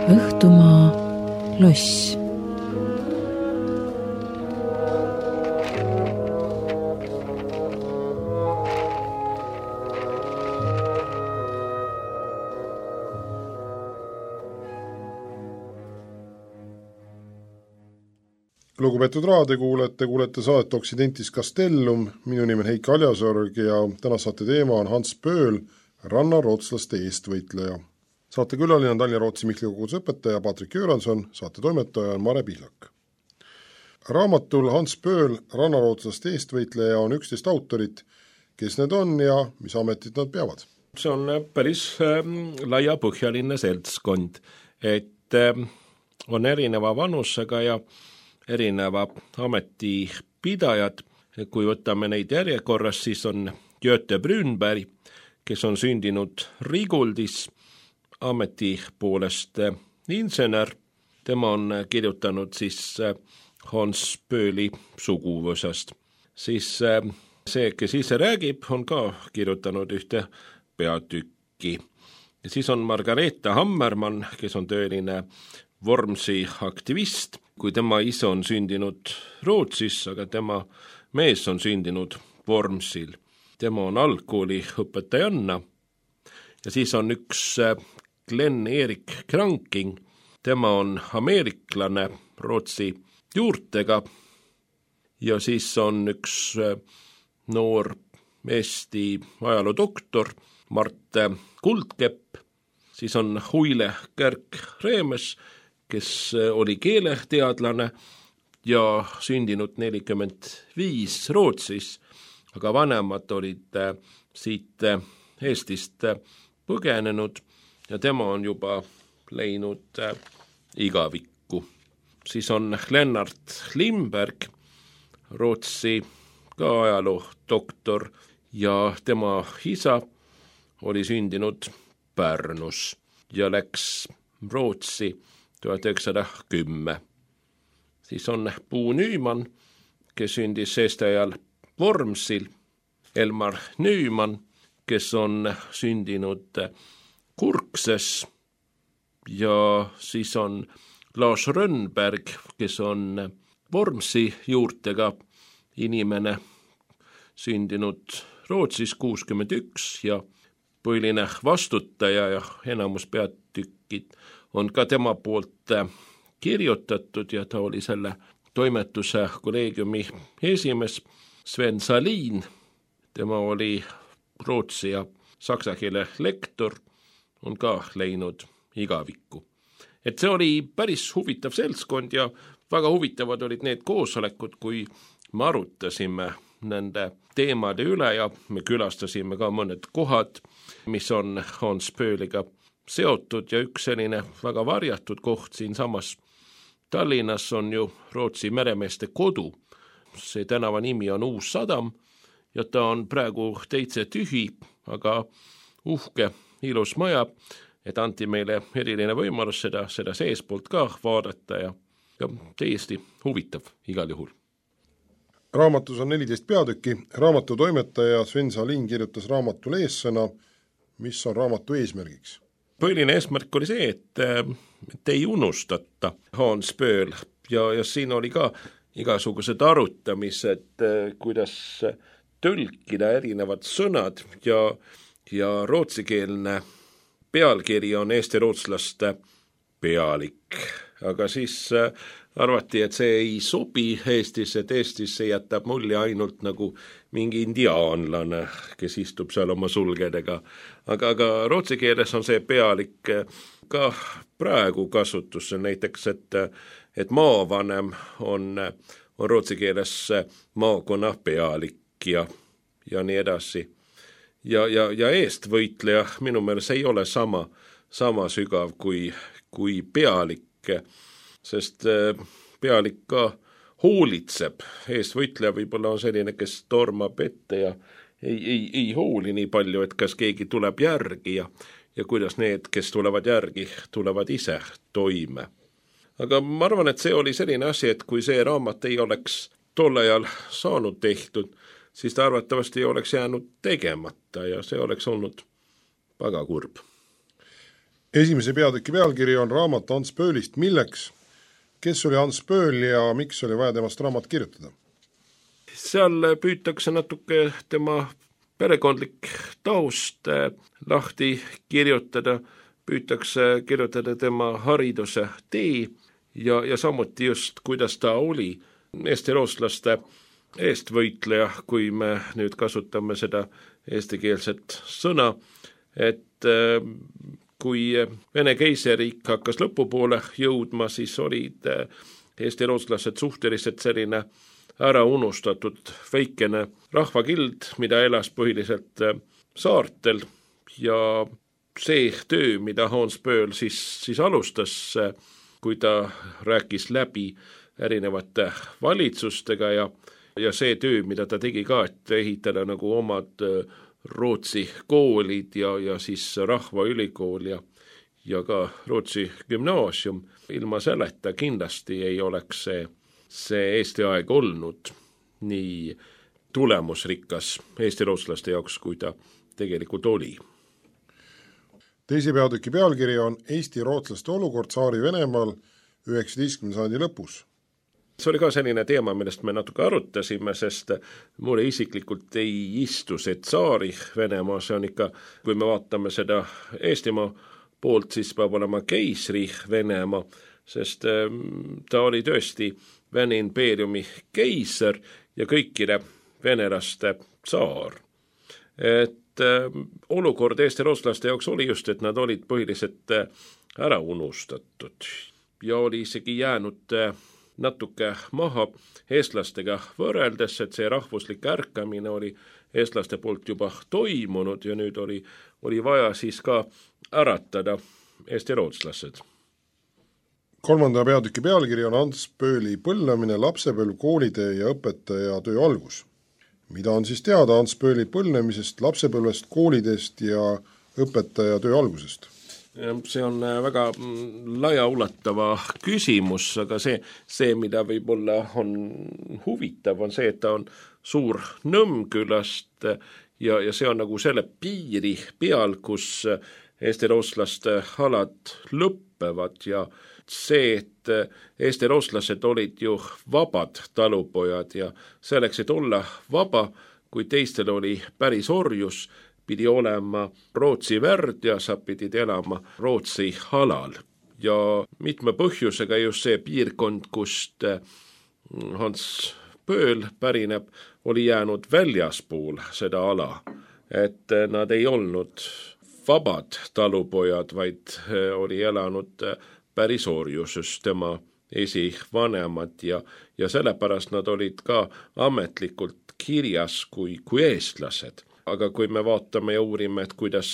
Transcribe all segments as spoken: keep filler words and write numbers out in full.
Õhtumaa loss. Lugupeetud raadiokuulajad, te kuulete saadet Occidentis Castellum, minu nimi on Heiki Aljasorg ja täna saate teema on Hans Pööl, rannarootslaste eestvõitleja. Saate külaline on Tallinna Rootsi Mihkli koguduse õpetaja Patrik Jüranson, saate toimetaja on Mare Pihlak. Raamatul Hans Pööl, rannarootslaste eestvõitleja on üksteist autorit, kes need on ja mis ametit nad peavad? See on päris ähm, laiapõhjaline seltskond, et ähm, on erineva vanusega ja erineva ametipidajad. Kui võtame neid järjekorras, siis on Göte Brünberg, kes on sündinud Riguldis, ameti poolest insener. Tema on kirjutanud siis Hans Pööli suguvõsast. Siis see, kes ise räägib, on ka kirjutanud ühte peatükki. Ja siis on Margareeta Hammermann, kes on tööline Wormsi aktivist. Kui tema ise on sündinud Rootsis, aga tema mees on sündinud Wormsil. Tema on algkooli õpetajanna. Ja siis on üks Glenn Erik Kranking. Tema on ameeriklane Rootsi juurtega. Ja siis on üks noor Eesti ajaloodoktor Mart Kuldkepp. Siis on Huile Kärk-Reemes, kes oli keeleteadlane ja sündinud nelikümmend viis Rootsis, aga vanemad olid siit Eestist põgenenud ja tema on juba läinud igavikku. Siis on Lennart Lindberg, Rootsi ka ajaloodoktor ja tema isa oli sündinud Pärnus ja läks Rootsi tuhat üheksasada kümme. Siis on Bo Nyman, kes sündis Eesti ajal Wormsil, Elmar Nyman, kes on sündinud Kurkses ja siis on Lars Rönnberg, kes on Wormsi juurtega inimene, sündinud Rootsis kuuskümmend üks ja põhiline vastutaja ja enamus peatükid on ka tema poolt kirjutatud ja ta oli selle toimetuse kolleegiumi esimees Sven Salin. Tema oli rootsi ja saksa keele lektor, on ka läinud igavikku. Et see oli päris huvitav seltskond ja väga huvitavad olid need koosolekud, kui me arutasime nende teemade üle ja me külastasime ka mõned kohad, mis on Hans Pööliga seotud ja üks selline väga varjatud koht siin samas Tallinnas on ju Rootsi meremeeste kodu. See tänava nimi on Uus Sadam ja ta on praegu täitsa tühi, aga uhke, ilus maja, et anti meile eriline võimalus seda, seda seespoolt ka vaadata ja, ja täiesti huvitav igal juhul. Raamatus on neliteist peatükki. Raamatu toimetaja Sven Salin kirjutas raamatule eessõna, mis on raamatu eesmärgiks. Põhiline eesmärk oli see, et, et ei unustata Hans Pööl ja, ja siin oli ka igasugused arutamised, kuidas tõlkida erinevad sõnad ja, ja rootsikeelne pealkiri on Eesti rootslaste pealik. Aga siis arvati, et see ei sobi Eestis, et Eestis see jätab mulje ainult nagu mingi indiaanlane, kes istub seal oma sulgedega. Aga, aga rootsi keeles on see pealik ka praegu kasutusse, näiteks, et, et maavanem on, on rootsi keeles maakonna pealik ja, ja nii edasi. Ja, ja, ja eestvõitleja minu meelest ei ole sama, sama sügav kui, kui pealik, sest pealik ka hoolitseb. Eestvõitleja võib-olla on selline, kes tormab ette ja ei, ei, ei hooli nii palju, et kas keegi tuleb järgi ja, ja kuidas need, kes tulevad järgi, tulevad ise toime. Aga ma arvan, et see oli selline asi, et kui see raamat ei oleks tol ajal saanud tehtud, siis ta arvatavasti oleks jäänud tegemata ja see oleks olnud väga kurb. Esimese peatüki pealkiri on raamat Hans Pöölist milleks. Kes oli Hans Pööl ja miks oli vaja temast raamat kirjutada? Seal püütakse natuke tema perekondlik taust lahti kirjutada, püütakse kirjutada tema hariduse tee ja, ja samuti just, kuidas ta oli eesti rootslaste eestvõitleja, kui me nüüd kasutame seda eestikeelset sõna, et kui Vene keiseriik hakkas lõpupoole jõudma, siis olid eesti rootslased suhteliselt selline ära unustatud väikene rahvakild, mida elas põhiliselt saartel ja see töö, mida Hans Pööl siis, siis alustas, kui ta rääkis läbi erinevate valitsustega ja, ja see töö, mida ta tegi ka, et ehitada nagu omad Rootsi koolid ja, ja siis rahvaülikool ja, ja ka Rootsi gümnaasium. Ilma selleta kindlasti ei oleks see, see Eesti aeg olnud nii tulemusrikas Eesti rootslaste jaoks, kui ta tegelikult oli. Teise peatüki pealkiri on Eesti rootslaste olukord Tsaari Venemaal üheksateistkümnenda sajandi lõpus. See oli ka selline teema, millest me natuke arutasime, sest mulle isiklikult ei istu see Tsaari Venemaa, see on ikka, kui me vaatame seda Eestimaa poolt, siis peab olema keisri Venemaa, sest ta oli tõesti Vene impeeriumi keiser ja kõikide venelaste tsaar. Et olukord Eesti rootslaste jaoks oli just, et nad olid põhiliselt ära unustatud ja oli isegi jäänud natuke maha eestlastega võrreldes, et see rahvuslik ärkamine oli eestlaste poolt juba toimunud ja nüüd oli, oli vaja siis ka äratada Eesti rootslased. Kolmanda peatüki pealkiri on Hans Pööli põlvnemine, lapsepõlv, koolitee ja õpetaja töö algus. Mida on siis teada Hans Pööli põlvnemisest, lapsepõlvest, koolidest ja õpetaja töö algusest? See on väga laiaulatava küsimus, aga see, see, mida võib-olla on huvitav, on see, et ta on suur Nõmmkülast ja, ja see on nagu selle piiri peal, kus Eesti rootslaste alad lõppevad ja see, et Eesti rootslased olid ju vabad talupojad ja selleks, et olla vaba, kui teistel oli päris orjus, pidi olema Rootsi värd ja sa pidid elama Rootsi alal. Ja mitme põhjusega just see piirkond, kust Hans Pööl pärineb, oli jäänud väljaspool seda ala. Et nad ei olnud vabad talupojad, vaid oli elanud päris orjuses tema esivanemad ja, ja sellepärast nad olid ka ametlikult kirjas kui, kui eestlased. Aga kui me vaatame ja uurime, et kuidas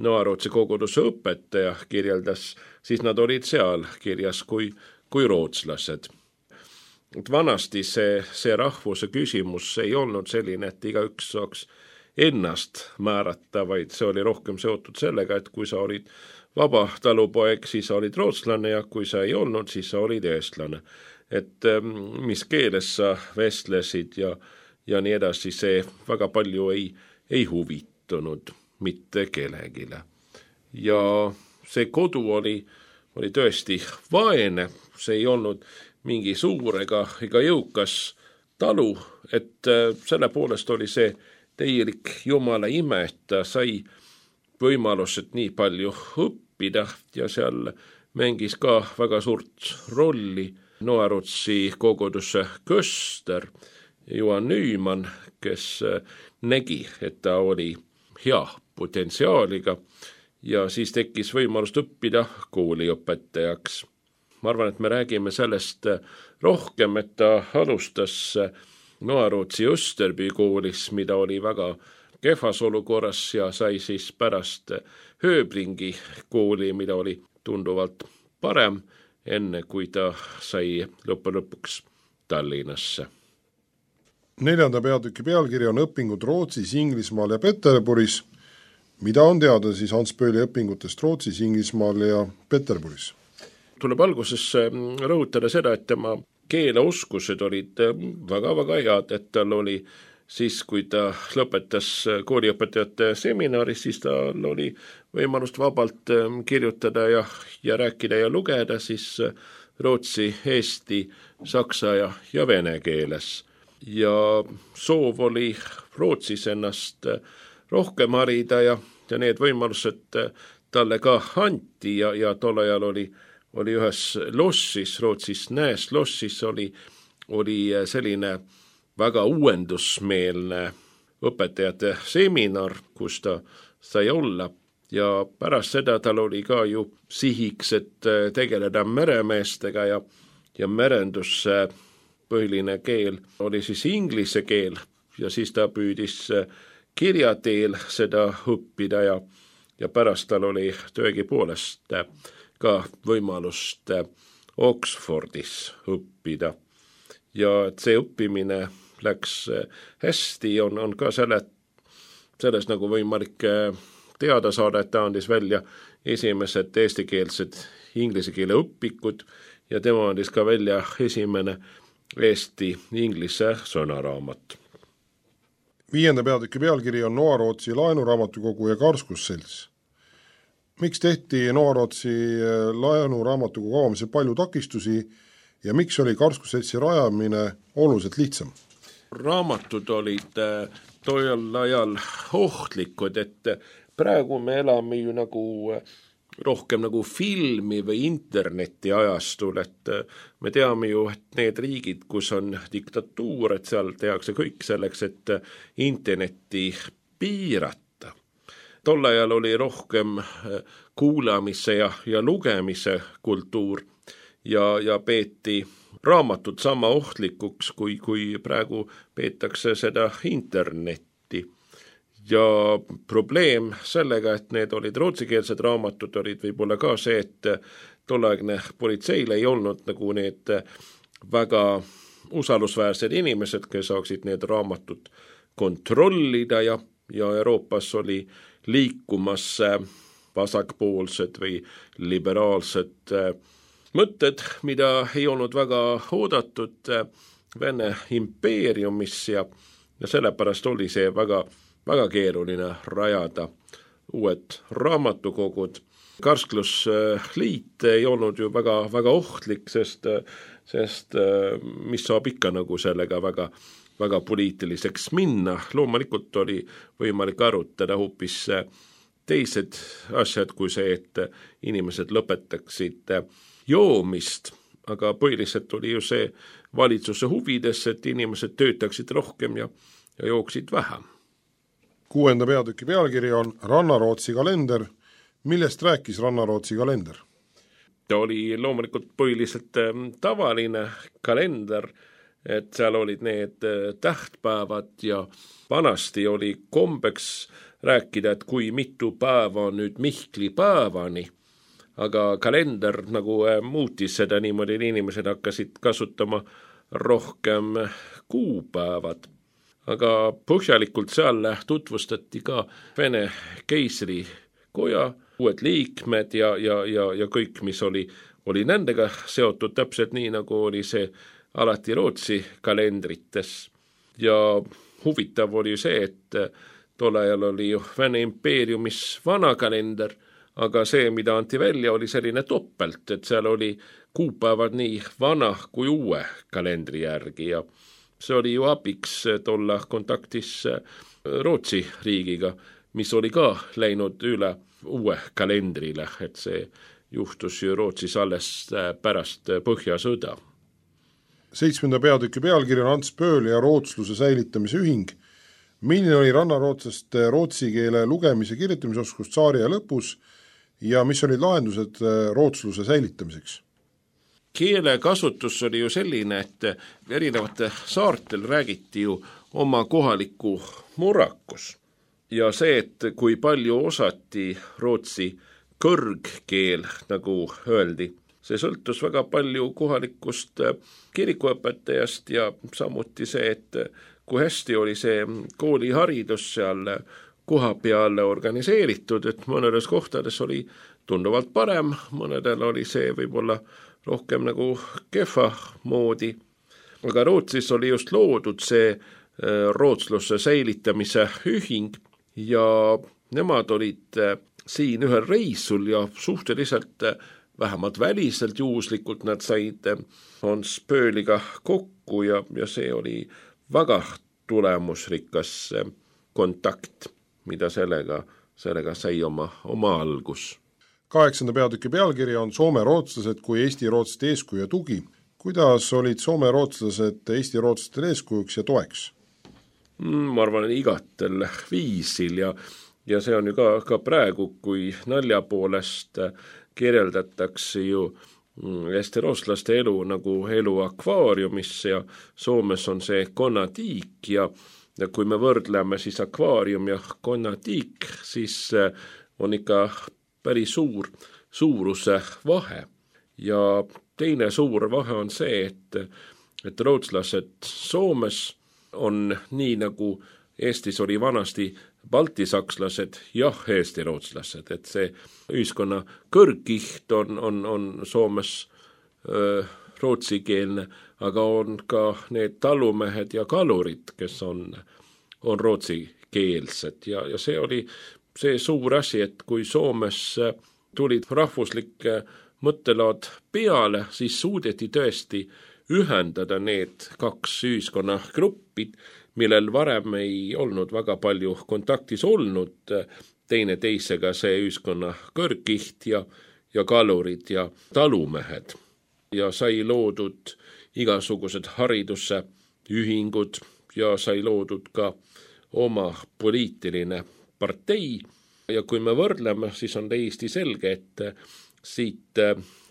Nõarootsi koguduse õpetaja kirjeldas, siis nad olid seal kirjas kui, kui rootslased. Et vanasti see, see rahvuse küsimus ei olnud selline, et igaüks saaks ennast määrata, vaid see oli rohkem seotud sellega, et kui sa olid vaba talupoeg, siis sa olid rootslane ja kui sa ei olnud, siis sa olid eestlane. Et mis keeles sa vestlesid ja, ja nii edasi, see väga palju ei ei huvitunud mitte kellegile. Ja see kodu oli, oli tõesti vaene, see ei olnud mingi suur ega, ega jõukas talu, et selle poolest oli see täielik jumala ime, et ta sai võimalused nii palju õppida ja seal mängis ka väga suurt rolli Nõarootsi koguduse köster Johan Nüüman, kes nägi, et ta oli hea potentsiaaliga ja siis tekkis võimalust õppida kooliõpetajaks. Ma arvan, et me räägime sellest rohkem, et ta alustas Nõarootsi Österby koolis, mida oli väga kehvas olukorras ja sai siis pärast Hööbringi kooli, mida oli tunduvalt parem, enne kui ta sai lõppu lõpuks Tallinnasse. Neljanda peatüki pealkiri on õpingud Rootsis, Inglismaal ja Peterburis. Mida on teada siis Hans Pööli õpingutest Rootsis, Inglismaal ja Peterburis? Tuleb alguses rõhutada seda, et tema keeleoskused olid väga-väga head, et tal oli siis kui ta lõpetas kooliõpetajate seminari, siis tal oli võimalust vabalt kirjutada ja, ja rääkida ja lugeda siis rootsi, eesti, saksa ja, ja vene keeles. Ja soov oli Rootsis ennast rohkem harida ja, ja need võimalused talle ka anti ja, ja tol ajal oli, oli ühes lossis, Rootsis Näes lossis oli, oli selline väga uuendusmeelne õpetajate seminar, kus ta sai olla ja pärast seda tal oli ka ju sihiks, et tegeleda meremeestega ja, ja merenduse põhiline keel oli siis inglise keel ja siis ta püüdis kirjateel seda õppida ja, ja pärast tal oli tõegi poolest ka võimalust Oxfordis õppida. Ja see õppimine läks hästi, on, on ka selle, selles nagu võimalik teada saada, et ta andis välja esimesed eestikeelsed inglise keele õpikud ja tema andis ka välja esimene eesti-inglise sõnaraamat. Viienda peatüki pealkiri on Noa-Rootsi laenuraamatukogu ja Karskusselts. Miks tehti Noa-Rootsi laenuraamatukogu avamisel palju takistusi ja miks oli Karskusseltsi rajamine oluliselt lihtsam? Raamatud olid tollel ajal ohtlikud, et praegu me elame ju nagu rohkem nagu filmi või interneti ajastul, et me teame ju, et need riigid, kus on diktatuur, et seal tehakse kõik selleks, et internetti piirata. Tol ajal oli rohkem kuulamise ja, ja lugemise kultuur ja, ja peeti raamatud sama ohtlikuks, kui, kui praegu peetakse seda internetti. Ja probleem sellega, et need olid rootsikeelsed raamatud, olid võib-olla ka see, et tolleaegne politseil ei olnud nagu need väga usaldusväärsed inimesed, kes saaksid need raamatud kontrollida ja, ja Euroopas oli liikumas vasakpoolsed või liberaalsed mõtted, mida ei olnud väga oodatud Vene impeeriumis ja, ja sellepärast oli see väga väga keeruline rajada uued raamatukogud. Karsklusliit ei olnud ju väga, väga ohtlik, sest, sest mis saab ikka nagu sellega väga, väga poliitiliseks minna. Loomulikult oli võimalik arutada hoopis teised asjad kui see, et inimesed lõpetaksid joomist, aga põhiliselt oli ju see valitsuse huvides, et inimesed töötaksid rohkem ja, ja jooksid vähem. Kuuenda peatüki pealkiri on Ranna-Rootsi kalender. Millest rääkis Ranna-Rootsi kalender? Ta oli loomulikult põhiliselt tavaline kalender, et seal olid need tähtpäevad ja vanasti oli kombeks rääkida, et kui mitu päeva on nüüd Mihkli päevani, aga kalender nagu muutis seda niimoodi, inimesed hakkasid kasutama rohkem kuupäevad. Aga põhjalikult seal tutvustati ka Vene keisri koja, uued liikmed ja, ja, ja, ja kõik, mis oli, oli nendega seotud täpselt nii, nagu oli see alati Rootsi kalendrites. Ja huvitav oli see, et tol ajal oli ju Vene impeeriumis vana kalender, aga see, mida anti välja, oli selline topelt, et seal oli kuupäevad nii vana kui uue kalendri järgi ja see oli ju abiks tolla kontaktis Rootsi riigiga, mis oli ka läinud üle uue kalendrile, et see juhtus ju Rootsis alles pärast Põhjasõda. Seitsmenda peatüki pealkiri on Hans Pööl ja rootsluse säilitamise ühing. Milline oli rannarootsast rootsi keele lugemise kirjutamisoskus tsaari ja lõpus ja mis olid lahendused rootsluse säilitamiseks? Keele kasutus oli ju selline, et erinevate saartel räägiti ju oma kohaliku murakus. Ja see, et kui palju osati rootsi kõrgkeel, nagu öeldi, see sõltus väga palju kohalikust kirikuõpetajast ja samuti see, et kui hästi oli see kooliharidus seal koha peal organiseeritud, et mõnedes kohtades oli tunduvalt parem, mõnedel oli see võib-olla rohkem nagu kehva moodi. Aga Rootsis oli just loodud see rootsluse säilitamise ühing ja nemad olid siin ühel reisul ja suhteliselt vähemalt väliselt juhuslikult nad said Hans Böhliga kokku ja, ja see oli väga tulemusrikas kontakt, mida sellega, sellega sai oma, oma algus. Kaheksanda peatüki pealkiri on Soome-rootslased kui Eesti-rootslaste eeskuju ja tugi. Kuidas olid Soome-rootslased Eesti-rootslastele eeskujuks ja toeks? Ma arvan, igatel viisil ja, ja see on ju ka, ka praegu, kui nalja poolest kirjeldatakse ju Eesti rootslaste elu nagu elu akvaariumis ja Soomes on see konnatiik ja, ja kui me võrdleme siis akvaarium ja konnatiik, siis on ikka päris suur suuruse vahe. Ja teine suur vahe on see, et, et rootslased Soomes on nii nagu Eestis oli vanasti baltisakslased, jah, Eesti rootslased, et see ühiskonna kõrgkiht on, on, on Soomes öö, rootsikeelne, aga on ka need talumehed ja kalurid, kes on, on rootsikeelsed ja, ja see oli see suur asi, et kui Soomes tulid rahvuslike mõttelaad peale, siis suudeti tõesti ühendada need kaks ühiskonnagruppid, millel varem ei olnud väga palju kontaktis olnud teine teisega see ühiskonna kõrgkiht ja, ja kalurid ja talumehed. Ja sai loodud igasugused hariduse ühingud ja sai loodud ka oma poliitiline partei. Ja kui me võrdleme, siis on täiesti selge, et siit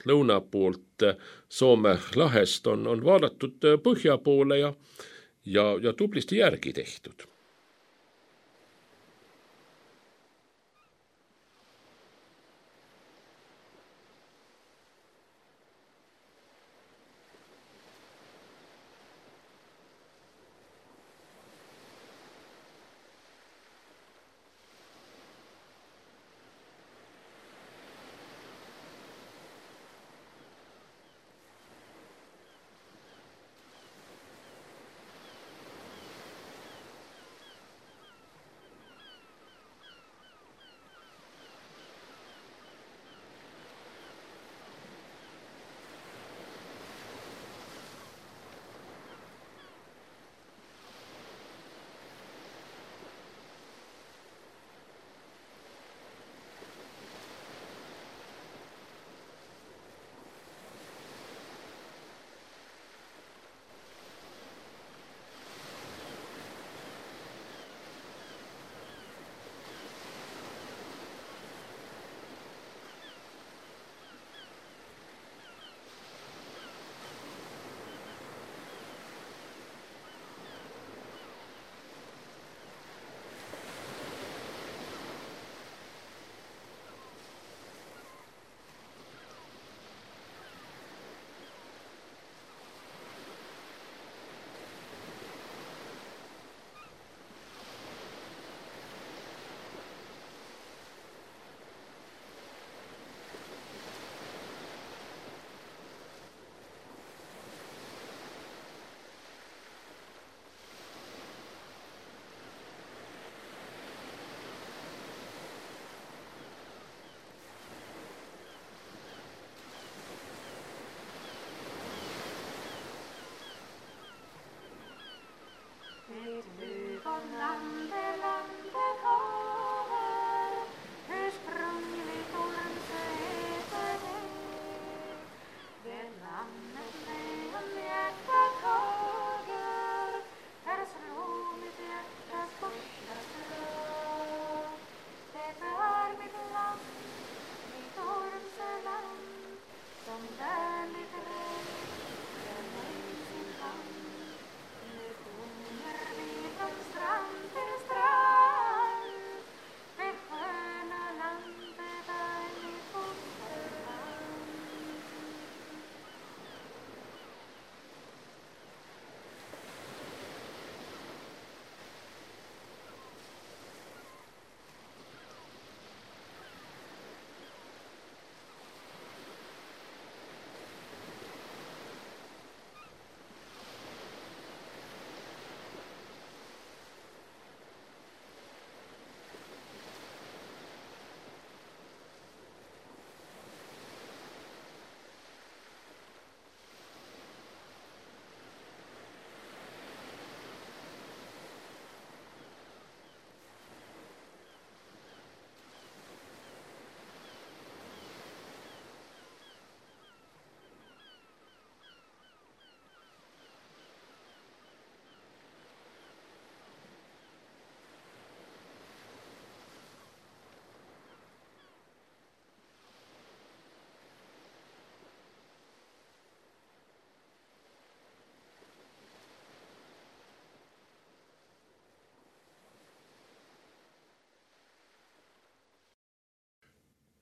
lõuna poolt Soome lahest on, on vaadatud põhja poole ja Ja, ja tublisti järgi tehtud.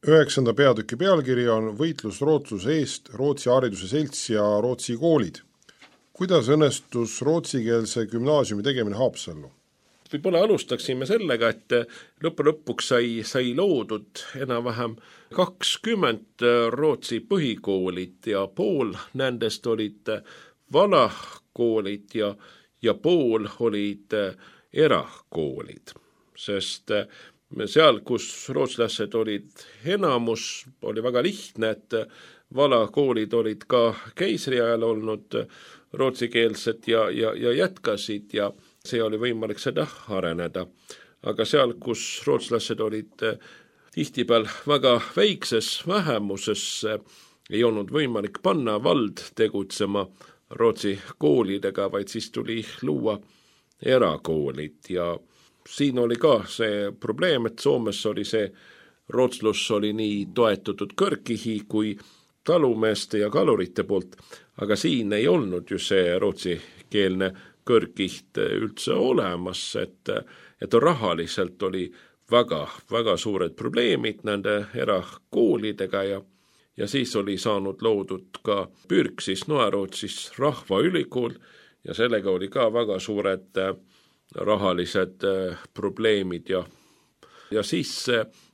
üheksanda peatüki pealkiri on Võitlus rootsluse eest, Rootsi hariduse selts ja Rootsi koolid. Kuidas õnnestus rootsikeelse gümnaasiumi tegemine Haapsallu? Võib-olla alustaksime sellega, et lõppu lõpuks sai, sai loodud enam-vähem kakskümmend Rootsi põhikoolit ja pool nendest olid valakoolid ja, ja pool olid erakoolid, sest seal, kus rootslased olid enamus, oli väga lihtne, et valakoolid olid ka keisri ajal olnud rootsikeelsed ja, ja, ja jätkasid ja see oli võimalik seda areneda. Aga seal, kus rootslased olid tihtipeal väga väikses vähemuses, ei olnud võimalik panna vald tegutsema Rootsi koolidega, vaid siis tuli luua erakoolid ja siin oli ka see probleem, et Soomes oli see rootslus oli nii toetatud kõrgkihi kui talumeeste ja kalurite poolt, aga siin ei olnud ju see rootsikeelne kõrgkiht üldse olemas, et, et rahaliselt oli väga, väga suured probleemid nende erakoolidega ja, ja siis oli saanud loodud ka Pürksis, Noarootsis rahvaülikool ja sellega oli ka väga suured rahalised probleemid ja, ja siis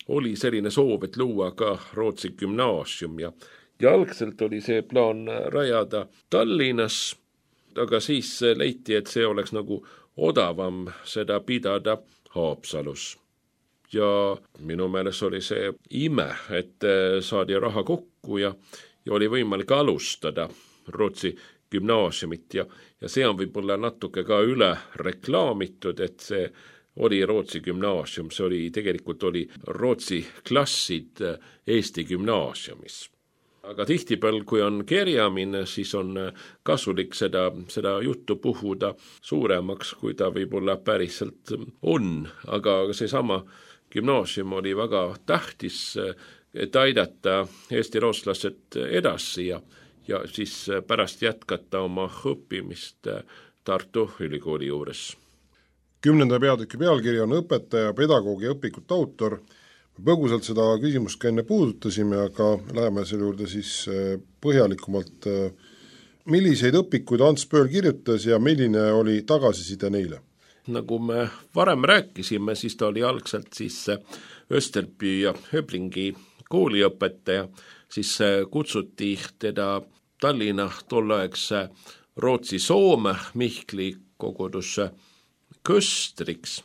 oli selline soov, et luua ka Rootsi gümnaasium ja, ja algselt oli see plaan rajada Tallinnas, aga siis leiti, et see oleks nagu odavam seda pidada Haapsalus. Ja minu meelest oli see ime, et saadi raha kokku ja, ja oli võimalik alustada Rootsi gümnaasiumit ja, ja see on võib-olla natuke ka üle reklaamitud, et see oli Rootsi gümnaasium, see oli tegelikult oli Rootsi klassid Eesti gümnaasiumis. Aga tihtipeal, kui on kerjamine, siis on kasulik seda, seda juttu puhuda suuremaks, kui ta võib-olla päriselt on. Aga see sama gümnaasium oli väga tähtis, et aidata Eesti rootslased edasi ja, ja siis pärast jätkata oma õppimist Tartu ülikooli juures. Kümnenda peatüki pealkiri on õpetaja, pedagoogi ja õpikute autor. Põgusalt seda küsimust ka enne puudutasime, aga läheme selle juurde siis põhjalikumalt. Milliseid õpikuid Hans Pööl kirjutas ja milline oli tagasiside neile? Nagu me varem rääkisime, siis ta oli algselt siis Österby ja Höblingi kooliõpetaja, siis kutsuti teda Tallinna tolleaegse Rootsi-Soome Mihkli kogudusse köstriks.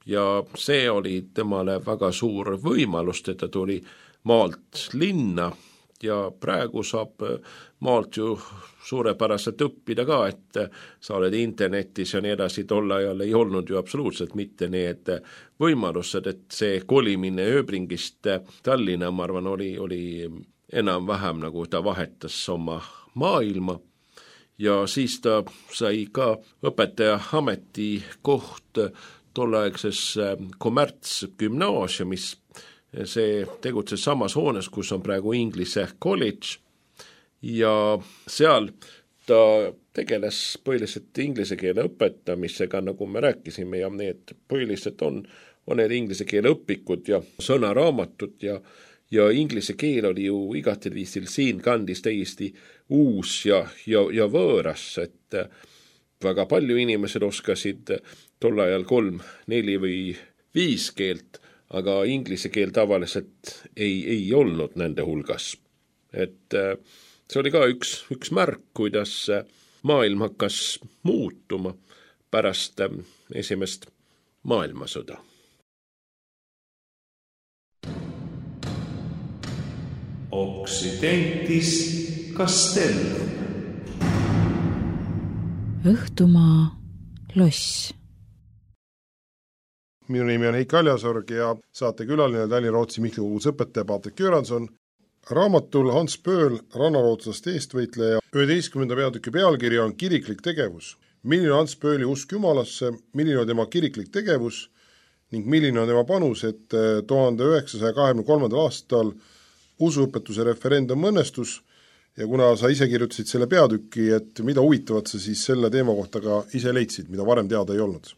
Ja see oli temale väga suur võimalus, et ta tuli maalt linna ja praegu saab maalt ju suurepäraselt õppida ka, et sa oled internetis ja nii edasi, tol ajal ei olnud ju absoluutselt mitte need võimalused, et see kolimine Öbringist Tallinna, ma arvan, oli, oli enam-vähem nagu ta vahetas oma maailma ja siis ta sai ka õpetaja ametikoht tolleaegses kommertsgümnaasiumis, see tegutses samas hoones, kus on praegu Inglise College ja seal ta tegeles põhiliselt inglise keele õpetamisega, nagu me rääkisime ja need põhiliselt on, on need inglise keele õpikud ja sõnaraamatud ja, ja inglise keel oli ju igateliisil siin kandis täiesti uus ja, ja, ja võõras, et väga palju inimesed oskasid tol ajal kolm, neli või viis keelt, aga inglise keel tavaliselt ei, ei olnud nende hulgas. Et see oli ka üks, üks märk, kuidas maailm hakkas muutuma pärast esimest maailmasõda. Occidentis Castellum. Õhtumaa loss. Minu nimi on Heik Aljasorg ja saatekülaline Tallinna-Rootsi Mihkli kogus õpetaja Patrik Göranson. Raamatul Hans Pööl, rannarootslaste eestvõitleja, üheteistkümnenda peatüki pealkiri on kiriklik tegevus. Milline on Hans Pööli usk Jumalasse, milline on tema kiriklik tegevus ning milline on tema panus, et tuhande üheksasaja kahekümne kolmandal aastal usuõpetuse referendum õnnestus ja kuna sa ise kirjutasid selle peatüki, et mida huvitavat sa siis selle teema kohta ka ise leidsid, mida varem teada ei olnud?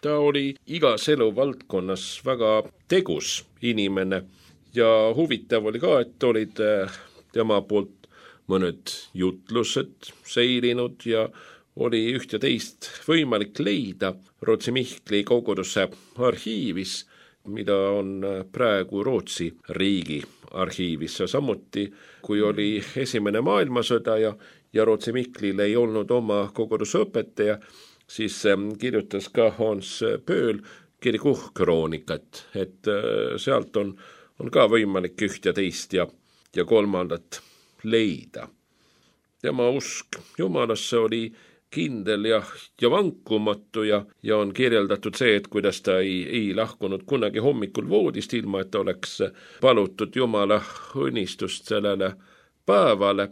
Ta oli igas elu valdkonnas väga tegus inimene ja huvitav oli ka, et olid tema poolt mõned jutlused seilinud ja oli üht ja teist võimalik leida Rootsi Mihkli koguduse arhiivis, mida on praegu Rootsi riigi arhiivis ja samuti, kui oli esimene maailmasõda ja, ja Rootsi Mihklil ei olnud oma koguduse õpetaja, siis kirjutas ka Hans Pööl kiriku kroonikat, et sealt on, on ka võimalik üht ja teist ja, ja kolmandat leida. Tema usk Jumalasse oli kindel ja, ja vankumatu ja, ja on kirjeldatud see, et kuidas ta ei, ei lahkunud kunagi hommikul voodist, ilma et oleks palutud Jumala õnnistust sellele päevale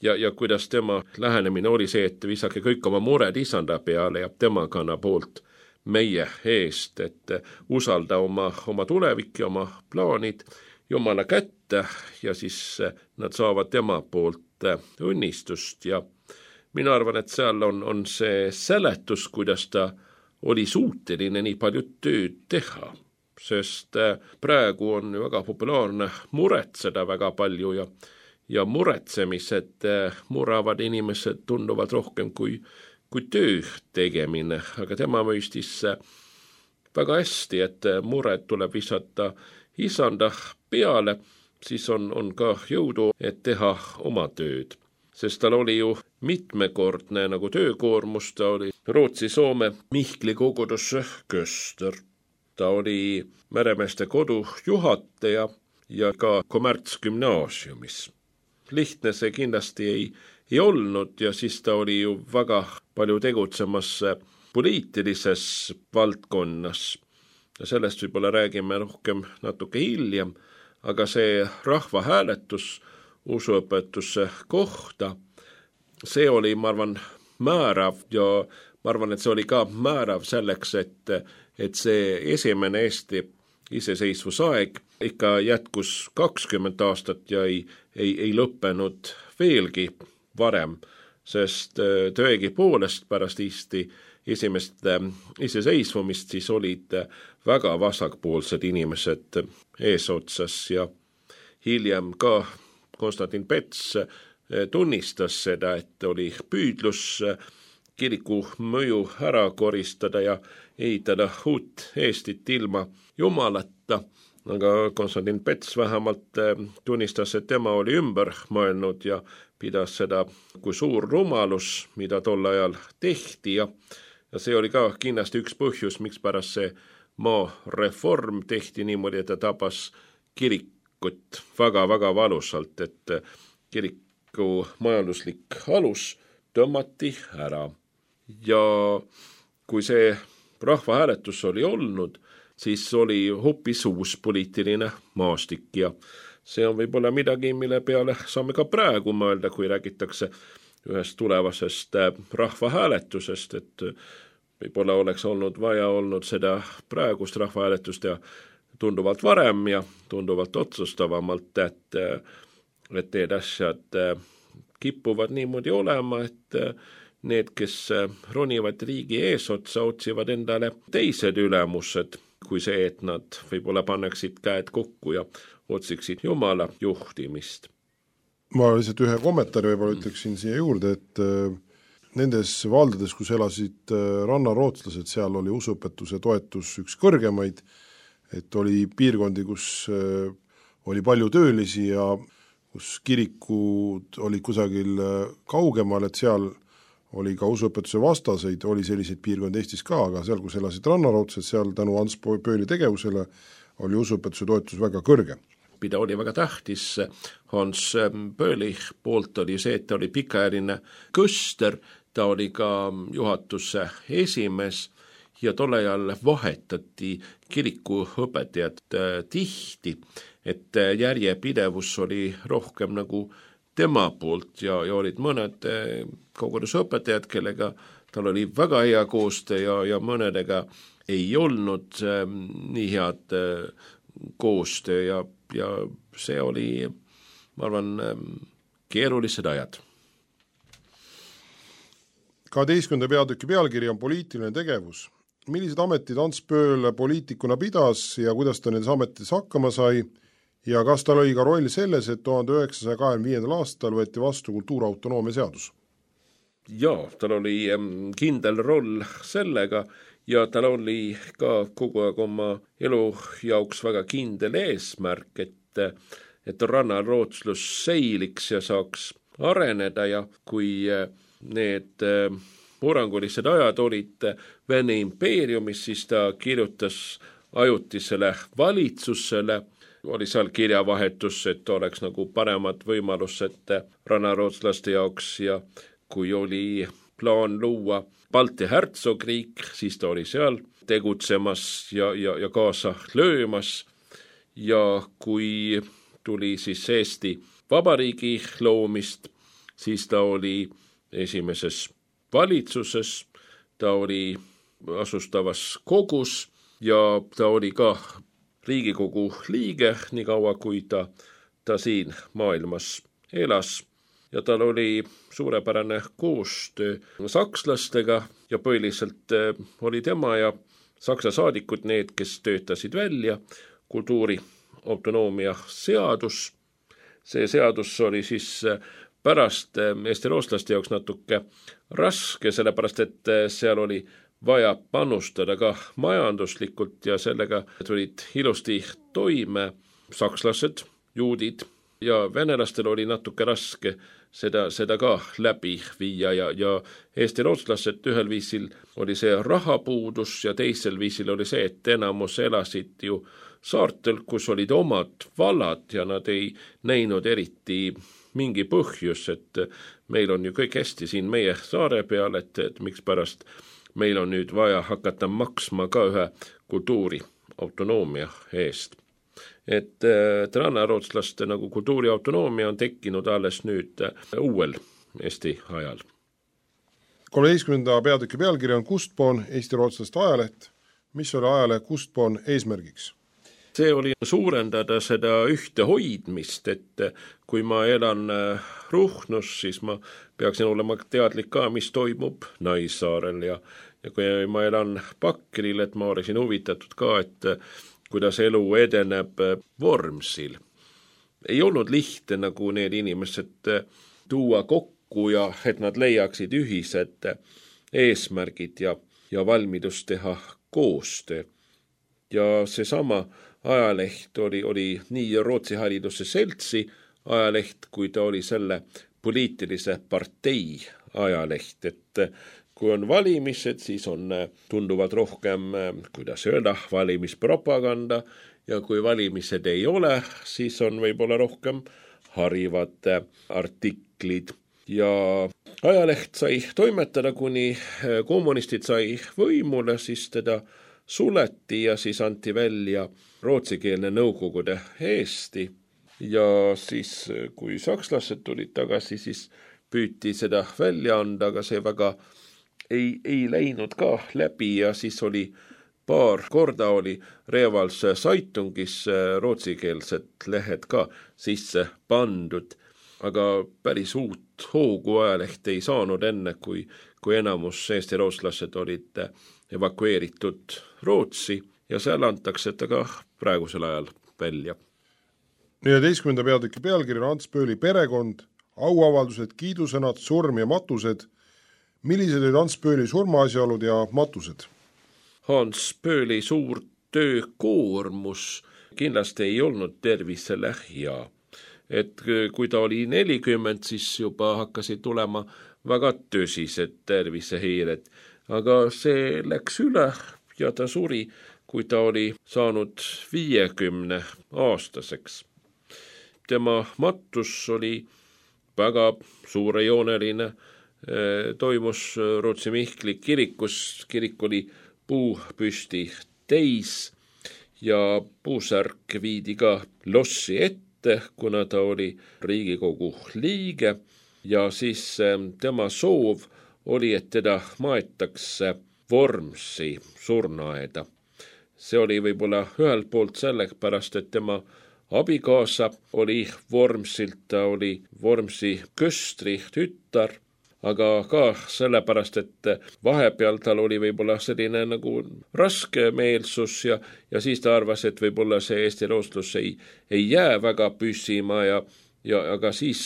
ja, ja kuidas tema lähenemine oli see, et visake kõik oma mured isanda peale ja tema kannab poolt meie eest, et usalda oma, oma tulevik ja oma plaanid Jumala kätte ja siis nad saavad tema poolt õnnistust ja mina arvan, et seal on, on see seletus, kuidas ta oli suuteline nii palju tööd teha, sest praegu on väga populaarne muretseda väga palju ja, ja muretsemised muravad inimesed tunduvalt rohkem kui, kui töö tegemine, aga tema mõistis väga hästi, et mured tuleb visata isanda peale, siis on, on ka jõudu, et teha oma tööd. Sest tal oli ju mitmekordne nagu töökoormus, ta oli Rootsi-Soome Mihkli kogudusse köster. Ta oli meremeeste kodu juhataja ja ka kommertsgümnaasiumis. Lihtne see kindlasti ei, ei olnud ja siis ta oli ju väga palju tegutsemas poliitilises valdkonnas. Ja sellest võib-olla räägime rohkem natuke hiljem, aga see rahvahääletus usuõpetuse kohta, see oli, ma arvan, määrav ja ma arvan, et see oli ka määrav selleks, et, et see esimene Eesti iseseisvusaeg ikka jätkus kakskümmend aastat ja ei, ei, ei lõppenud veelgi varem, sest tõegi poolest pärast Eesti esimest iseseisvumist siis olid väga vasakpoolsed inimesed eesotsas ja hiljem ka Konstantin Pets tunnistas seda, et oli püüdlus kiriku mõju ära koristada ja ehitada uut Eestit ilma Jumalata, aga Konstantin Pets vähemalt tunnistas, et tema oli ümber mõelnud ja pidas seda kui suur rumalus, mida tol ajal tehti ja, ja see oli ka kindlasti üks põhjus, miks pärast see maareform tehti niimoodi, et ta tabas kirik väga-väga valusalt, et kiriku majanduslik alus tõmmati ära. Ja kui see rahvahääletus oli olnud, siis oli hoopis uus poliitiline maastik ja see on võib-olla midagi, mille peale saame ka praegu mõelda, kui räägitakse ühest tulevasest rahvahääletusest, et võib-olla oleks olnud vaja olnud seda praegust rahvahääletust ja tunduvalt varem ja tunduvalt otsustavamalt, et, et need asjad kippuvad niimoodi olema, et need, kes ronivad riigi eesotsa, otsivad endale teised ülemused, kui see, et nad võib-olla panneksid käed kokku ja otsiksid Jumala juhtimist. Ma lihtsalt ühe kommentaari võib-olla ütleksin siia juurde, et nendes valdades, kus elasid rannarootslased, seal oli usuõpetuse toetus üks kõrgemaid, et oli piirkondi, kus oli palju töölisi ja kus kirikud olid kusagil kaugemal, et seal oli ka usuõpetuse vastaseid, oli selliseid piirkondi Eestis ka, aga seal, kus elasid rannarootsed, seal tänu Hans Pööli tegevusele oli usuõpetuse toetus väga kõrge. Mida oli väga tähtis Hans Pööli poolt oli see, et ta oli pikaajaline köster, ta oli ka juhatuse esimees ja tol ajal vahetati kiriku õpetajad tihti, et järjepidevus oli rohkem nagu tema poolt ja, ja olid mõned koguduse õpetajad, kellega tal oli väga hea koostöö ja, ja mõnedega ei olnud nii head koostöö ja, ja see oli, ma arvan, keerulised ajad. kaheteistkümnenda peatüki pealkiri on poliitiline tegevus. Millised ametid Hans Pööl poliitikuna pidas ja kuidas ta nendes ametides hakkama sai ja kas tal oli ka roll selles, et tuhande üheksasaja kahekümne viiendal aastal võeti vastu kultuurautonoomia seadus? Jaa, tal oli kindel roll sellega ja tal oli ka kogu aeg oma elu jaoks väga kindel eesmärk, et, et rannarootslus säiliks ja saaks areneda ja kui need murrangulised ajad olid Vene impeeriumis, siis ta kirjutas ajutisele valitsusele, oli seal kirjavahetus, et oleks nagu paremad võimalused rannarootslaste jaoks ja kui oli plaan luua Balti hertsogriik, siis ta oli seal tegutsemas ja, ja, ja kaasa löömas ja kui tuli siis Eesti Vabariigi loomist, siis ta oli esimeses valitsuses, ta oli asustavas kogus ja ta oli ka Riigikogu liige, nii kaua kui ta, ta siin maailmas elas ja tal oli suurepärane koostöö sakslastega ja põhiliselt oli tema ja Saksa saadikud need, kes töötasid välja kultuuriautonoomia seadus. See seadus oli siis pärast Eesti rootslaste jaoks natuke raske, sellepärast et seal oli vaja panustada ka majanduslikult ja sellega tulid ilusti toime sakslased, juudid ja venelastel oli natuke raske seda, seda ka läbi viia ja, ja Eesti rootslased ühel viisil oli see rahapuudus ja teisel viisil oli see, et enamus elasid ju saartel, kus olid omad vallad ja nad ei näinud eriti mingi põhjus, et meil on ju kõik hästi siin meie saare peal, et, et miks pärast meil on nüüd vaja hakata maksma ka ühe kultuuri autonoomia eest. Et rannarootslaste nagu kultuuri autonoomia on tekkinud alles nüüd uuel Eesti ajal. kolmeteistkümnenda peatüki pealkiri on Kustboon, Eesti rootslaste ajaleht. Mis oli ajalehe Kustboon eesmärgiks? See oli suurendada seda ühte hoidmist, et kui ma elan Ruhnus, siis ma peaksin olema teadlik ka, mis toimub Naissaarel ja, ja kui ma elan Pakril, et ma olisin huvitatud ka, et kuidas elu edeneb Vormsil. Ei olnud lihtne nagu need inimesed tuua kokku ja et nad leiaksid ühised eesmärgid ja, ja valmidus teha koostöö. Ja seesama ajaleht oli, oli nii Rootsi hariduse seltsi ajaleht, kui ta oli selle poliitilise partei ajaleht, et kui on valimised, siis on tunduvad rohkem, kuidas öelda, valimispropaganda ja kui valimised ei ole, siis on võib-olla rohkem harivad artiklid ja ajaleht sai toimetada, kuni kommunistid sai võimule, siis teda suleti ja siis anti välja rootsikeelne Nõukogude Eesti ja siis kui sakslased tulid tagasi, siis püüti seda välja anda, aga see väga ei, ei läinud ka läbi ja siis oli paar korda oli Revals Saitungis rootsikeelsed lehed ka sisse pandud, aga päris uut hoogu ajaleht ei saanud enne, kui, kui enamus Eesti rootslased olid evakueeritud Rootsi ja seal antakse ta ka praegusel ajal välja. neljateistkümnenda peatüki pealkiri on Hans Pööli perekond, auavaldused, kiidusõnad, surm ja matused. Millised olid Hans Pööli surmaasjaolud ja matused? Hans Pööli suur töökoormus kindlasti ei olnud tervisele hea. Et kui ta oli nelikümmend, siis juba hakkasid tulema väga tõsised terviseheired, aga see läks üle ja ta suri, kui ta oli saanud viiekümne aastaseks. Tema matus oli väga suurejooneline, toimus Rootsi Mihkli kirikus, kirik oli puupüsti täis ja puusärk viidi ka lossi ette, kuna ta oli Riigikogu liige ja siis tema soov oli, et teda maetakse Vormsi surnuaeda. See oli võib-olla ühelt poolt sellepärast, et tema abikaasa oli Vormsilt, ta oli Vormsi köstri tütar, aga ka sellepärast, et vahepeal tal oli võib-olla selline nagu raske meelsus ja, ja siis ta arvas, et võib-olla see Eesti rootslus ei, ei jää väga püsima ja, ja aga siis,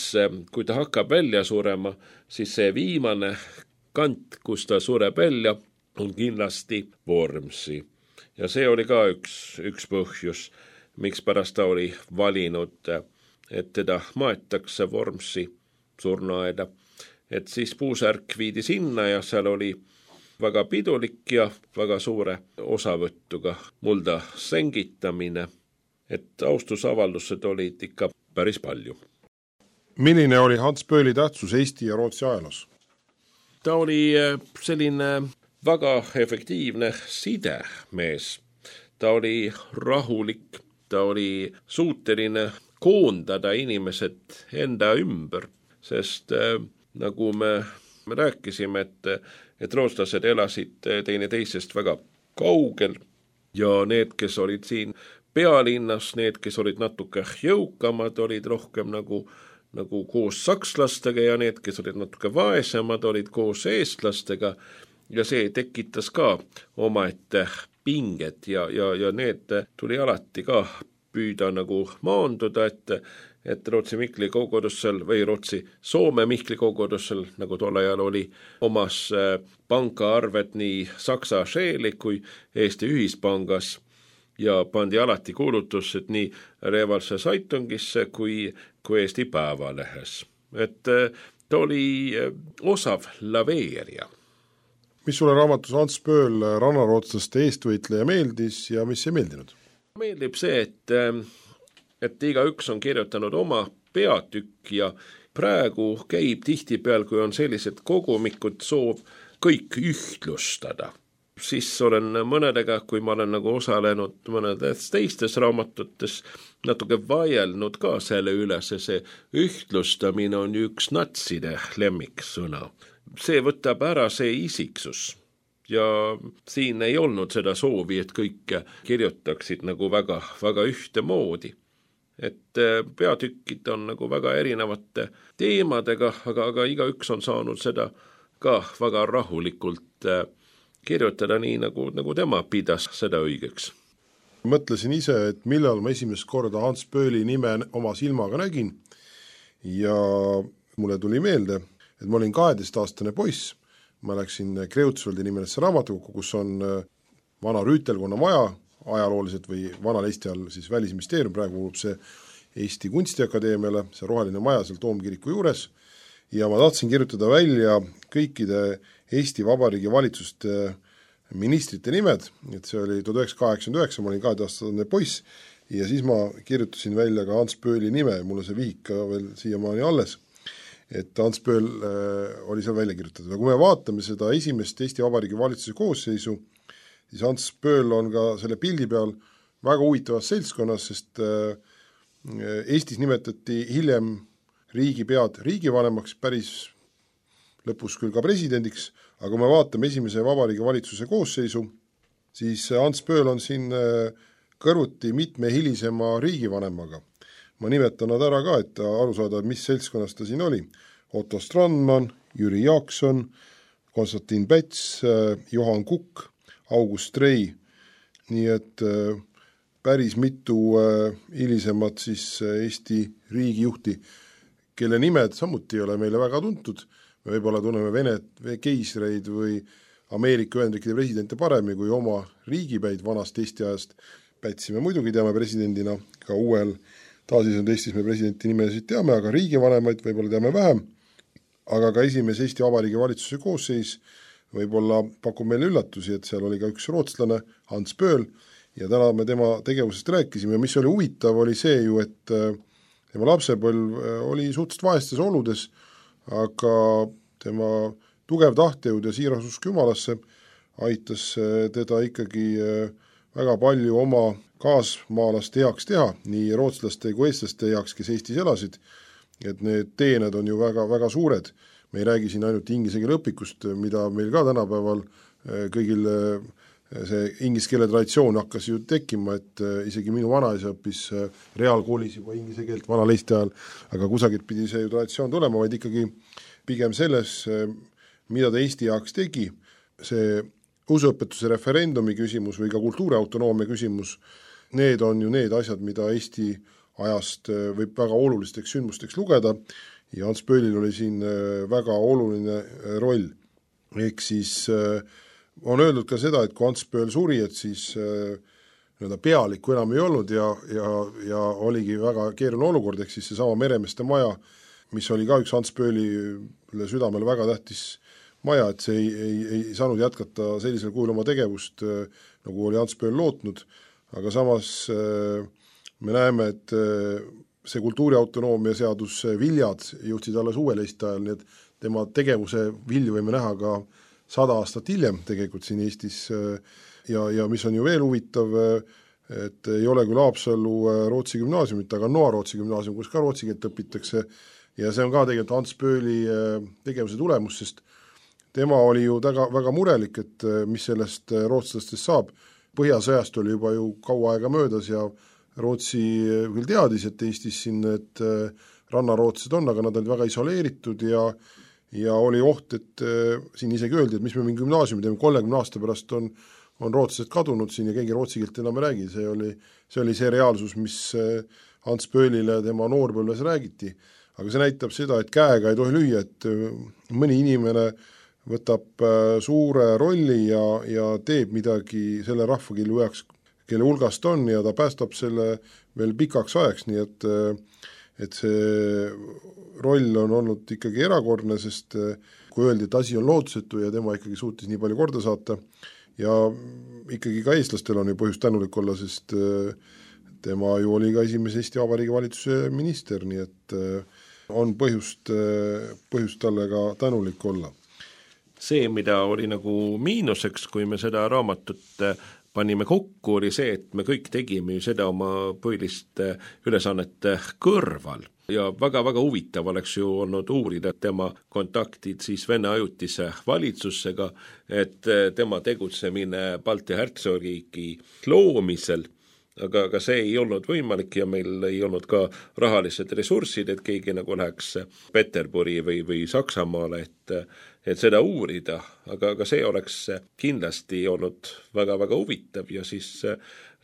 kui ta hakkab välja surema, siis see viimane kant, kus ta sureb välja, on kindlasti Vormsi. Ja see oli ka üks, üks põhjus, miks pärast ta oli valinud, et teda maetakse Vormsi surnuaeda. Et siis puusärk viidi sinna ja seal oli väga pidulik ja väga suure osavõttuga mulda sengitamine. Et austusavaldused olid ikka päris palju. Milline oli Hans Böhli tähtsus Eesti ja Rootsi ajaloos? Ta oli selline väga efektiivne sidemees. Ta oli rahulik, ta oli suuteline koondada inimesed enda ümber, sest nagu me, me rääkisime, et, et rootslased elasid teineteisest väga kaugel ja need, kes olid siin pealinnas, need, kes olid natuke jõukamad, olid rohkem nagu nagu koos sakslastega ja need, kes olid natuke vaesemad, olid koos eestlastega ja see tekitas ka omaette pinget ja, ja, ja need tuli alati ka püüda nagu maanduda, et, et Rootsi Mihkli kogudussel või Rootsi Soome Mihkli kogudussel, nagu tol ajal oli, omas pangaarved nii Saksa Scheeli kui Eesti ühispangas ja pandi alati kuulutused nii Revalse Saitungisse kui, kui Eesti Päevalehes. Et ta oli osav laveerija. Mis sulle raamatus Hans Böhl rannarootslaste eestvõitleja meeldis ja mis ei meeldinud? Meeldib see, et, et igaüks on kirjutanud oma peatükk ja praegu käib tihtipeal, kui on sellised kogumikud soov kõik ühtlustada. Siis olen mõnedega, kui ma olen nagu osalenud mõnedes teistes raamatutes, natuke vaielnud ka selle üle, see ühtlustamine on üks natside lemmiksõna. See võtab ära see isiksus ja siin ei olnud seda soovi, et kõik kirjutaksid nagu väga, väga ühtemoodi. Et peatükid on nagu väga erinevate teemadega, aga, aga igaüks on saanud seda ka väga rahulikult kirjutada nii, nagu, nagu tema pidas seda õigeks. Mõtlesin ise, et millal ma esimest korda Hans Böhli nime oma silmaga nägin ja mulle tuli meelde, et ma olin kaheteistaastane poiss, ma läksin Kreutzwaldi nimelisse raamatukokku, kus on vana rüütelkonna maja, ajalooliselt või vanal Eesti all siis Välisministeerium, praegu kuulub see Eesti Kunstiakadeemiale, see roheline maja seal Toomkiriku juures ja ma tahtsin kirjutada välja kõikide Eesti Vabariigi valitsuste ministrite nimed, et see oli tuhat üheksasada kaheksakümmend üheksa, ma olin kaheteistaastane poiss ja siis ma kirjutasin välja ka Hans Böhli nime, mulle see vihik ka veel siiamaani alles, et Hans Böhl äh, oli seal välja kirjutatud. Ja kui me vaatame seda esimest Eesti Vabariigi valitsuse koosseisu, siis Hans Böhl on ka selle pildi peal väga huvitavas seltskonnas, sest äh, Eestis nimetati hiljem riigipead riigivanemaks, päris lõpus küll ka presidendiks, aga kui me vaatame esimese Vabariigi valitsuse koosseisu, siis Hans Böhl on siin kõrvuti mitme hilisema riigivanemaga. Ma nimetan nad ära ka, et aru saada, mis seltskonnas ta siin oli. Otto Strandman, Jüri Jaakson, Konstantin Päts, Johan Kukk, August Rei, nii et päris mitu hilisemat siis Eesti riigijuhti, kelle nimed samuti ei ole meile väga tuntud. Me võib-olla tunneme Vene keisreid või Ameerika Ühendriikide presidente paremini kui oma riigipäid vanast Eesti ajast. Pätsi me muidugi teame presidendina, ka uuel taasiseseisvunud Eestis me presidenti nimesid teame, aga riigivanemaid võib-olla teame vähem. Aga ka esimese Eesti Vabariigi valitsuse koosseis võib-olla pakub meile üllatusi, et seal oli ka üks rootslane, Hans Böhl, ja täna me tema tegevusest rääkisime. Mis oli huvitav, oli see ju, et tema lapsepõlv oli suhteliselt vaestes oludes, aga tema tugev tahtejõud ja siirasusk Jumalasse aitas teda ikkagi väga palju oma kaasmaalaste heaks teha, nii rootslaste kui eestlaste heaks, kes Eestis elasid, et need teened on ju väga, väga suured. Me ei räägi siin ainult inglise keele õpikust, mida meil ka tänapäeval kõigil see inglise keele traditsioon hakkas ju tekkima, et isegi minu vanaisa õppis reaalkoolis juba inglise keelt vanal Eesti ajal, aga kusagilt pidi see ju traditsioon tulema, vaid ikkagi pigem selles, mida ta Eesti jaoks tegi, see usuõpetuse referendumi küsimus või ka kultuuriautonoomia küsimus, need on ju need asjad, mida Eesti ajast võib väga olulisteks sündmusteks lugeda ja Ants Pöölil oli siin väga oluline roll. Ehk siis on öeldud ka seda, et kui Ants Pööl suri, et siis äh, pealikku enam ei olnud ja, ja, ja oligi väga keeruline olukord, ehk siis see sama Meremeeste maja, mis oli ka üks Ants Pöölile südamele väga tähtis maja, et see ei, ei, ei saanud jätkata sellisel kujul oma tegevust, äh, nagu oli Ants Pööl lootnud, aga samas äh, me näeme, et äh, see kultuuriautonoomia seadus viljad jõudsid alles uuel Eesti ajal, nii et tema tegevuse vilju võime näha ka sada aastat hiljem tegelikult siin Eestis ja, ja mis on ju veel huvitav, et ei ole küll Haapsallu Rootsi gümnaasiumit, aga Noa Rootsi gümnaasium, kus ka rootsi keelt õpitakse ja see on ka tegelikult Ants Pööli tegevuse tulemus, sest tema oli ju väga, väga murelik, et mis sellest rootslastest saab. Põhjasõjast oli juba ju kaua aega möödas ja Rootsi küll teadis, et Eestis siin need rannarootsed on, aga nad olid väga isoleeritud ja ja oli oht, et äh, siin isegi öeldi, et mis me mingi gümnaasiumi teeme, kolmekümne aasta pärast on, on rootslased kadunud siin ja keegi rootsi keelt enam ei räägi, see oli, see oli see reaalsus, mis äh, Ants Pöölile tema noorpõlves räägiti, aga see näitab seda, et käega ei tohi lüüa, et äh, mõni inimene võtab äh, suure rolli ja, ja teeb midagi selle rahva, kelle jaoks, kelle hulgast on ja ta päästab selle veel pikaks ajaks, nii et äh, et see roll on olnud ikkagi erakordne, sest kui öeldi, et asi on lootusetu ja tema ikkagi suutis nii palju korda saata ja ikkagi ka eestlastel on ju põhjust tänulik olla, sest tema ju oli ka esimese Eesti Vabariigi valitsuse minister, nii et on põhjust, põhjust talle ka tänulik olla. See, mida oli nagu miinuseks, kui me seda raamatut panime kokku, oli see, et me kõik tegime ju seda oma põhilist ülesannet kõrval ja väga-väga huvitav oleks ju olnud uurida tema kontaktid siis Vene ajutise valitsusega, et tema tegutsemine Balti Hertsogiriigi loomisel, aga, aga see ei olnud võimalik ja meil ei olnud ka rahalised ressursid, et keegi nagu läheks Peterburi või, või Saksamaale, et et seda uurida, aga, aga see oleks kindlasti olnud väga-väga huvitav ja siis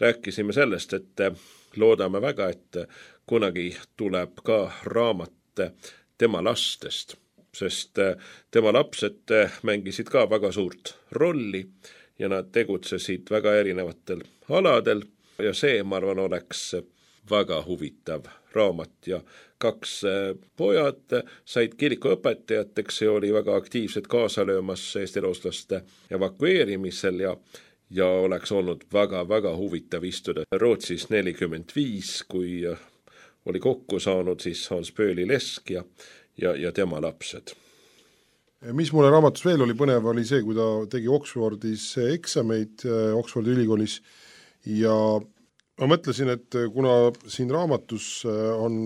rääkisime sellest, et loodame väga, et kunagi tuleb ka raamat tema lastest, sest tema lapsed mängisid ka väga suurt rolli ja nad tegutsesid väga erinevatel aladel ja see, ma arvan, oleks väga huvitav raamat ja kaks pojad said kirikuõpetajateks ja oli väga aktiivselt kaasa löömas eestilooslaste evakueerimisel ja, ja oleks olnud väga-väga huvitav istuda Rootsis nelikümmend viis, kui oli kokku saanud siis Ants Pööli lesk ja, ja, ja tema lapsed. Mis mulle raamatus veel oli põnev, oli see, kui ta tegi Oxfordis eksameid Oxfordi ülikoolis ja ma mõtlesin, et kuna siin raamatus on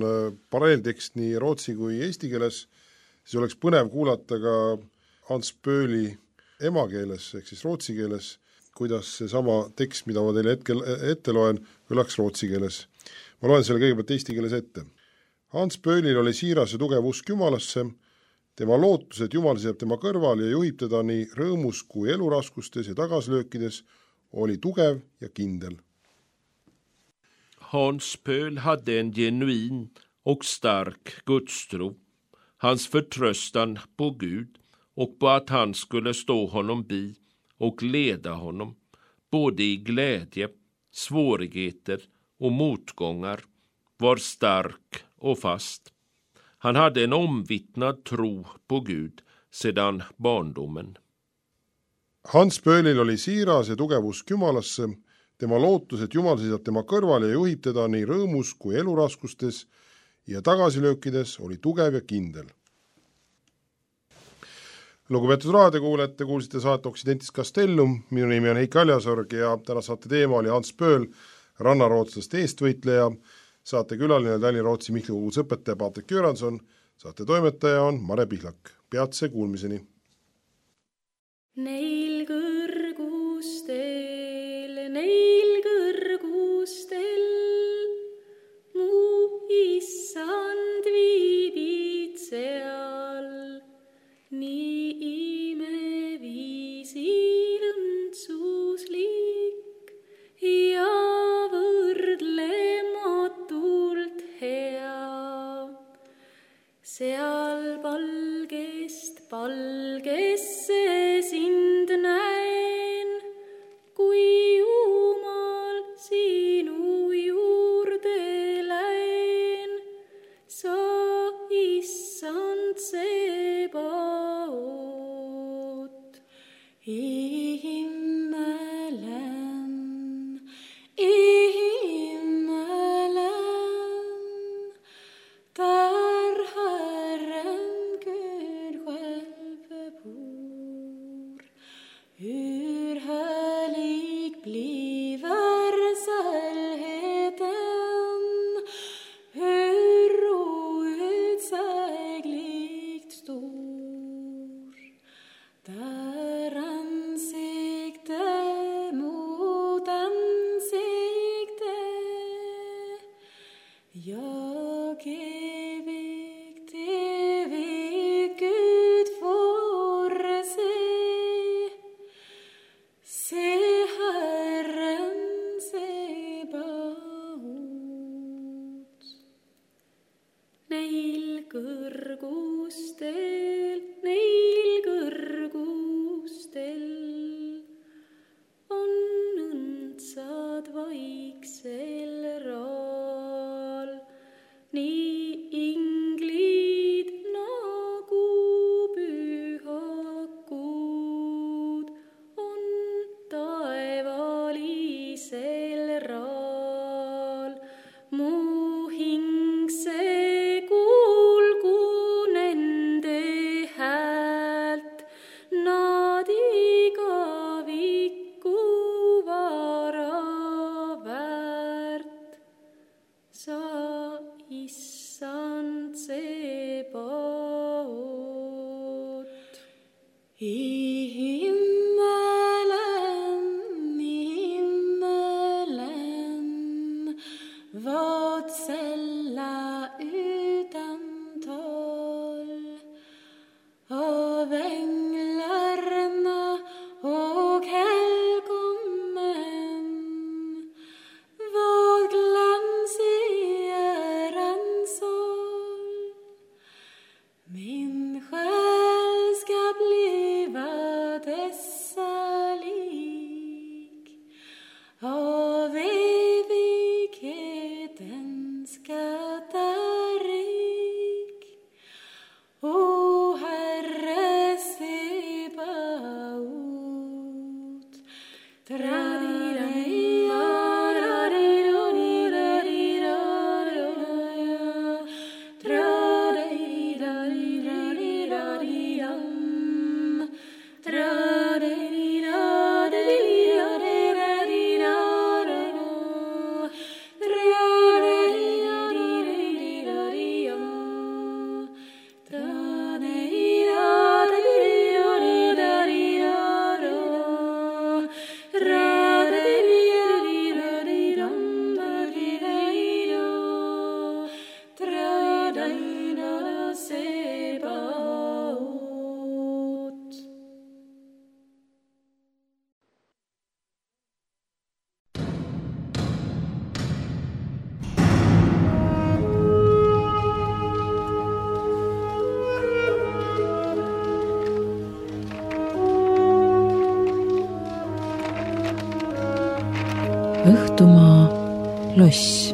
paralleeltekst nii rootsi kui eesti keeles, siis oleks põnev kuulata ka Ants Pööli emakeeles, ehk siis rootsi keeles, kuidas see sama tekst, mida ma teile hetkel ette loen, kõlaks rootsi keeles. Ma loen selle kõigepealt eesti keeles ette. Ants Pöölil oli siiras ja tugev usk Jumalasse, tema lootus, et Jumal seisab tema kõrval ja juhib teda nii rõõmus kui eluraskustes ja tagaslöökides, oli tugev ja kindel. Hans Pööl hade en genuin och stark gudstro. Hans förtröstan på Gud och på att han skulle stå honom bi och leda honom, både i glädje, svårigheter och motgångar, var stark och fast. Han hade en omvittnad tro på Gud sedan barndomen. Hans Pöölil oli siiras ja tugev usk Jumalasse, tema lootus, et Jumal seisab tema kõrval ja juhib teda nii rõõmus kui eluraskustes ja tagasilöökides oli tugev ja kindel. Lugupeetud raadiokuulajad, te kuulsite saate Occidentis Castellum, minu nimi on Heiki Aljasorg ja täna saate teema oli Ants Pööl, rannarootslaste eestvõitleja, saate külaline Tallinna Rootsi Mihkli koguduse õpetaja Patrik Jüranson, saate toimetaja on Mare Pihlak. Peatse kuulmiseni. Neil kõrgus kõrgustel, neil kõrgustel mu issand viibid seal, nii imeviisil õndsuslik ja võrdlematult hea. Seal palgest palgesse sind näen, kui Jumal sinu juurde lähen. Sa issand Sebaot, ihimmelen, ihimmelen, där Herren Gud själv bor. Hur härlig bliver sällheten, hur outsägligt stor. Där ansikte mot ansikte, jag evigt, evigt Gud får se. Se Herren Sebaot. Neil kõrgustel, neil kõrgustel on õndsad vaiksel raal, nii inglid nagu pühakud on taevalisel raal. Mu hing see kuulgu nende häält, nad igaviku vara väärt. Sa issand Sebaot. Ihimmelen, ihimmelen, vad sälla utan tal av änglarna och helgomen. Vad glans i ärans sal, min själ ska bliva dessa lik, av evighetens skattarik. O Herre Sebaot, Õhtumaa loss.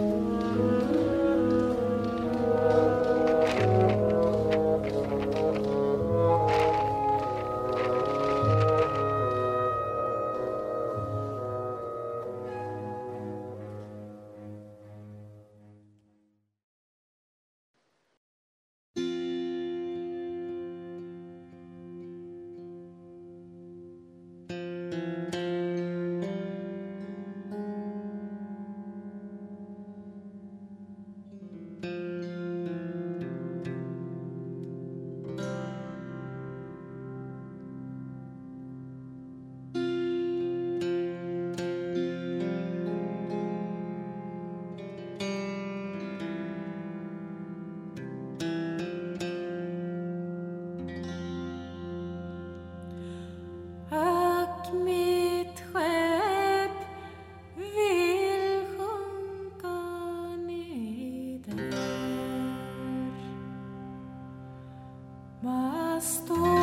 ma står